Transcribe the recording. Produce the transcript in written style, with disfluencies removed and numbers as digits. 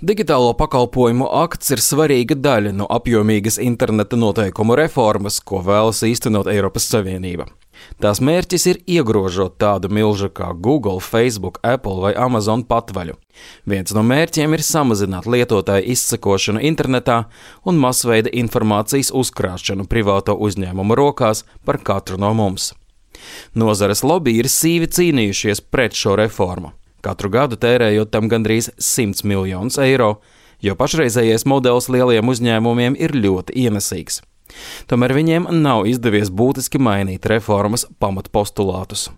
Digitālo pakalpojumu akts ir svarīga daļa no apjomīgas interneta noteikumu reformas, ko vēlas īstenot Eiropas Savienība. Tās mērķis ir iegrožot tādu milžu kā Google, Facebook, Apple vai Amazon patvaļu. Viens no mērķiem ir samazināt lietotāju izsekošanu internetā un masveida informācijas uzkrāšanu privāto uzņēmumu rokās par katru no mums. Nozares lobby ir sīvi cīnījušies pret šo reformu. Katru gadu tērējot tam gandrīz 100 miljonus eiro, jo pašreizējais modelis lieliem uzņēmumiem ir ļoti ienesīgs. Tomēr viņiem nav izdevies būtiski mainīt reformas pamatpostulātus.